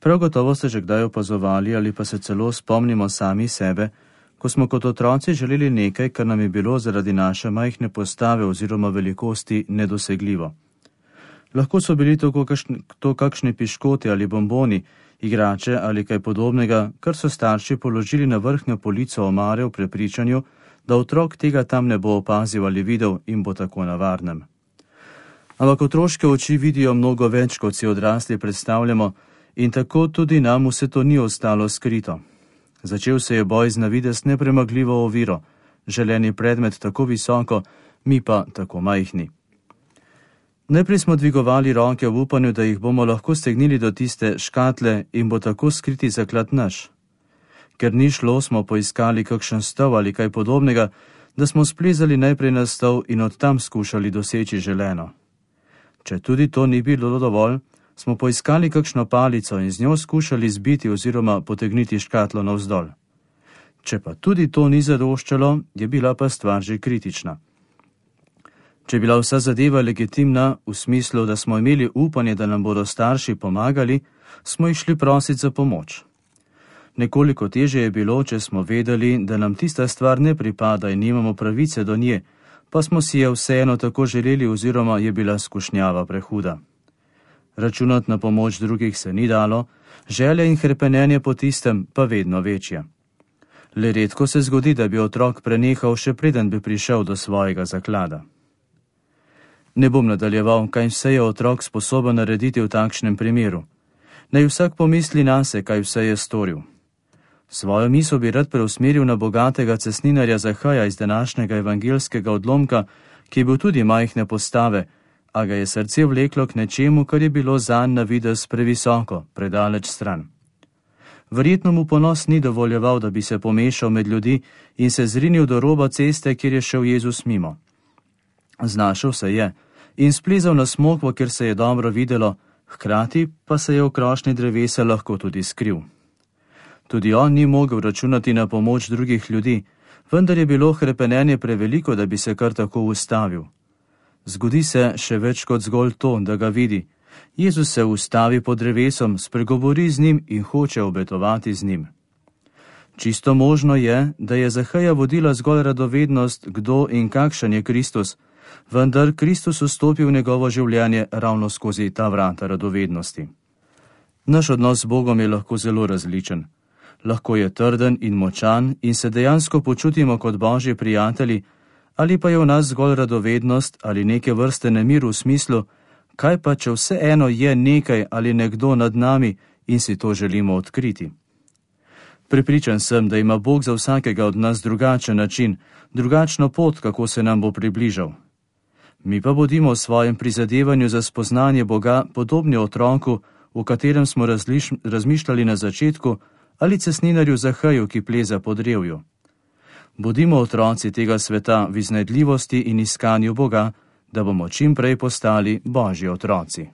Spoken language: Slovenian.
Prav gotovo ste že kdaj opazovali ali pa se celo spomnimo sami sebe, ko smo kot otroci želeli nekaj, kar nam je bilo zaradi naše majhne postave oziroma velikosti nedosegljivo. Lahko so bili to kakšni piškoti ali bomboni, igrače ali kaj podobnega, kar so starši položili na vrhnjo polico omare v prepričanju, da otrok tega tam ne bo opazil ali videl in bo tako na varnem. Ampak otroške oči vidijo mnogo več, kot si odrasli predstavljamo, in tako tudi nam vse to ni ostalo skrito. Začel se je boj z na videz nepremagljivo oviro, želeni predmet tako visoko, mi pa tako majhni. Najprej smo dvigovali roke v upanju, da jih bomo lahko stegnili do tiste škatle in bo tako skriti zaklad naš. Ker ni šlo, smo poiskali kakšen stol ali kaj podobnega, da smo splezali najprej na stol in od tam skušali doseči želeno. Če tudi to ni bilo dovolj, smo poiskali kakšno palico in z njo skušali zbiti oziroma potegniti škatlo navzdol. Če pa tudi to ni zadoščalo, je bila pa stvar že kritična. Če je bila vsa zadeva legitimna v smislu, da smo imeli upanje, da nam bodo starši pomagali, smo jih šli prositi za pomoč. Nekoliko težje je bilo, če smo vedeli, da nam tista stvar ne pripada in nimamo pravice do nje, pa smo si je vseeno tako želeli oziroma je bila skušnjava prehuda. Računati na pomoč drugih se ni dalo, želje in hrepenenje po tistem pa vedno večje. Le redko se zgodi, da bi otrok prenehal, še preden bi prišel do svojega zaklada. Ne bom nadaljeval, kaj vse je otrok sposoben narediti v takšnem primeru. Naj vsak pomisli nase, kaj vse je storil. Svojo misel bi rad preusmeril na bogatega cestninarja Zahaja iz današnjega evangelskega odlomka, ki je bil tudi majhne postave, a ga je srce vleklo k nečemu, kar je bilo zanj na videz previsoko, predaleč stran. Verjetno mu ponos ni dovoljeval, da bi se pomešal med ljudi in se zrinil do roba ceste, kjer je šel Jezus mimo. Znašel se je in splezal na smokvo, kjer se je dobro videlo, hkrati pa se je v krošnji drevesa lahko tudi skril. Tudi on ni mogel računati na pomoč drugih ljudi, vendar je bilo hrepenenje preveliko, da bi se kar tako ustavil. Zgodi se še več kot zgolj to, da ga vidi. Jezus se ustavi pod drevesom, spregovori z njim in hoče obetovati z njim. Čisto možno je, da je Zahaja vodila zgolj radovednost, kdo in kakšen je Kristus, vendar Kristus vstopi v njegovo življenje ravno skozi ta vrata radovednosti. Naš odnos z Bogom je lahko zelo različen. Lahko je trden in močan in se dejansko počutimo kot Božji prijatelji, ali pa je v nas zgolj radovednost ali neke vrste nemir v smislu, kaj pa, če vseeno je nekaj ali nekdo nad nami in si to želimo odkriti. Prepričan sem, da ima Bog za vsakega od nas drugačen način, drugačno pot, kako se nam bo približal. Mi pa bodimo v svojem prizadevanju za spoznanje Boga podobni otroku, v katerem smo razmišljali na začetku, ali cestninarju Zahaju, ki pleza po drevju. Bodimo otroci tega sveta v iznajdljivosti in iskanju Boga, da bomo čim prej postali Božji otroci.